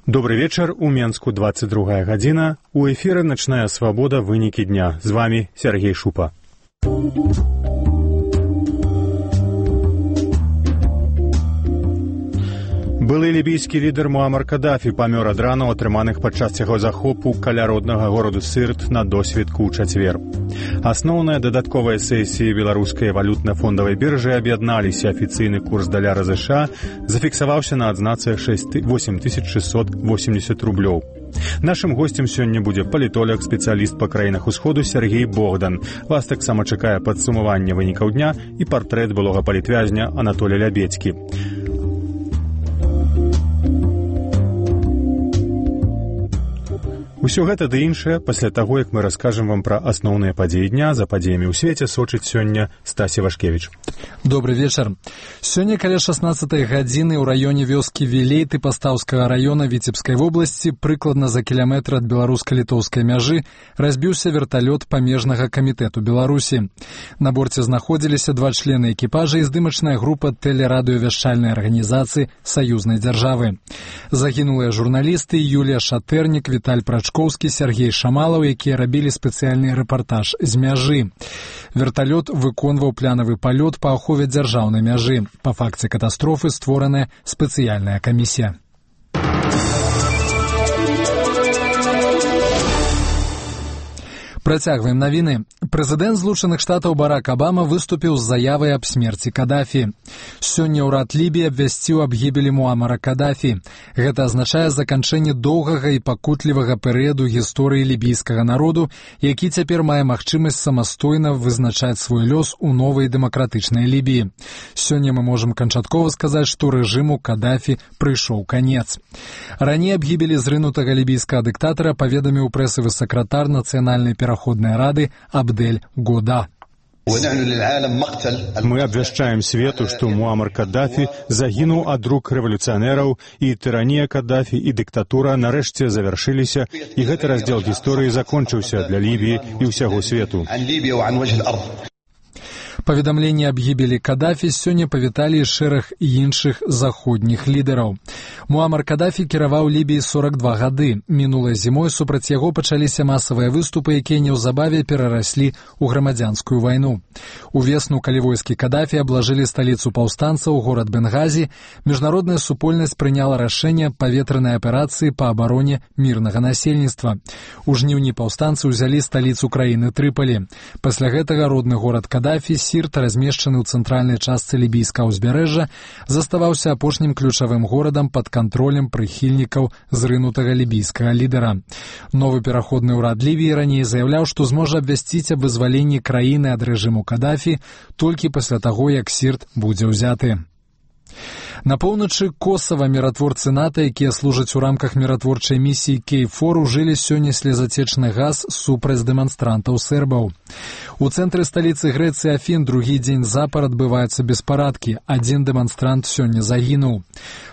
Добрый вечер. У Менску 22 гадзіна. У эфіры «Начная свобода. Вынікі дня». З вами Сергей Шупа. Былы лібійскі лідар Муамар Кадафі памёр ад ранаў, атрыманых падчас яго захопу каля роднага гораду Сырт на досведку ў чацвер. Асноўныя дадатковыя сесіі беларускай валютна-фондавай біржы аб'ядналіся. Афіцыйны курс даляра США зафіксаваўся на адзнацы 8680 рублёў. Нашым госцем сёння будзе палітолог, спецыяліст па краінах усходу Сергей Богдан. Вас таксама чакае падсумаванне вынікаў дня і партрэт былога палітвязня Анатолія Лябедзькі. Усё гэта ды іншае пасля таго, як мы раскажам вам пра асноўныя падзеі дня. За падзеямі ў свеце сочыць сёння Стасі Вашкевіч. Добрый вечар. Сёння каля 16 гадзіны ў раёне вёскі Вілейты Пастаўскага раёна Віцебскай вобласці, прыкладна за кіламетр ад беларуска-літоўскай мяжы, разбіўся верталёт памежнага камітэту Беларусі. На борце знаходзіліся 2 члены экіпажа і здымачная група тэлерадыёвяшчальнай арганізацыі саюзнай дзяржавы. Загінулыя журналісты Юлія Шатэрнік, Віталь Прачкоўскі, Сергей Шамалаў, якія рабілі спецыяльны рэпартаж з мяжы. Верталёт выконваў планавы палёт па ахове дзяржаўнай мяжы. Па факце катастрофы створаная спецыяльная камісія. Працягваем навіны. Прэзідэнт Злучаных Штатаў Барак Абама выступіў з заявай аб смерці Кадафі. Сёння ўрад Лібіі абвясціў аб гібелі Муамара Кадафі. Гэта азначае заканчэнне доўгага і пакутлівага перыяду гісторыі лібійскага народу, які цяпер мае магчымасць самастойна вызначаць свой лёс у новай дэмакратычнай Лібіі. Сёння мы можам канчаткова сказаць, што рэжыму Кадафі прыйшоў канец. Раней аб гібелі зрынутага лібійскага дыктатара паведаміў прэсавы сакратар нацыянальнай пераходнай рады Абдель Года. Мы абвяшчаем свету, што Муамар Кадафі загінуў ад рук рэвалюцыянераў, і тыранія Кадафі і дыктатура нарэшце завяршыліся, і гэты раздзел гісторыі закончыўся для Лібіі і ўсяго свету. Паведамленне аб гібелі Кадафі сёння павіталі шэраг іншых заходніх лідараў. Муамар Кадафі кіраваў Лібіяй 42 гады. Мінулай зімой супраць яго пачаліся масавыя выступы, якія неўзабаве перараслі ў грамадзянскую вайну. Увесну, калі войскі Кадафі аблажылі сталіцу паўстанцаў, горад Бенгазі, міжнародная супольнасць прыняла рашэнне паветранай аперацыі па абароне мірнага насельніцтва. У жніўні паўстанцы ўзялі сталіцу краіны Трыпалі. Пасля гэтага родны горад Кадафі, Сірт, размешчаны ў цэнтральнай частцы лібійскага ўзбярэжжа, заставаўся апошнім ключавым горадам пад кантролем прыхільнікаў зрынутага лібійскага лідара. Новы пераходны ўрад Лівіі раней заяўляў, што зможа абвясціць аб вызваленні краіны ад рэжыму Кадафі толькі пасля таго, як Сірт будзе ўзяты. На поўначы Косава міратворцы НАТО, якія служаць у рамках міратворчай місіі Кейфор, ужылі сёння слезацечны газ супраць дэманстрантаў сербаў. У цэнтры сталіцы Грэцыі Афін другі дзень запар адбываюцца беспарадкі. Адзін дэманстрант сёння загінуў.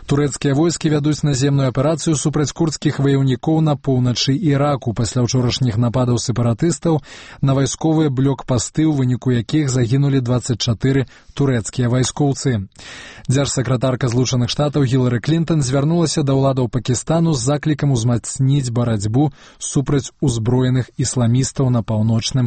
Турэцкія войскі вядуць наземную аперацыю супраць курдскіх ваяўнікоў на поўначы Іраку пасля ўчорашніх нападаў сепаратыстаў на вайсковыя блокпасты, у выніку якіх загінулі 24 турэцкія вайскоўцы. Дзяржсакратарка Злучаных Штатаў Гілары Клінтон звярнулася да ўладаў Пакістану з заклікам узмацніць барацьбу супраць узброеных ісламістаў на паўночным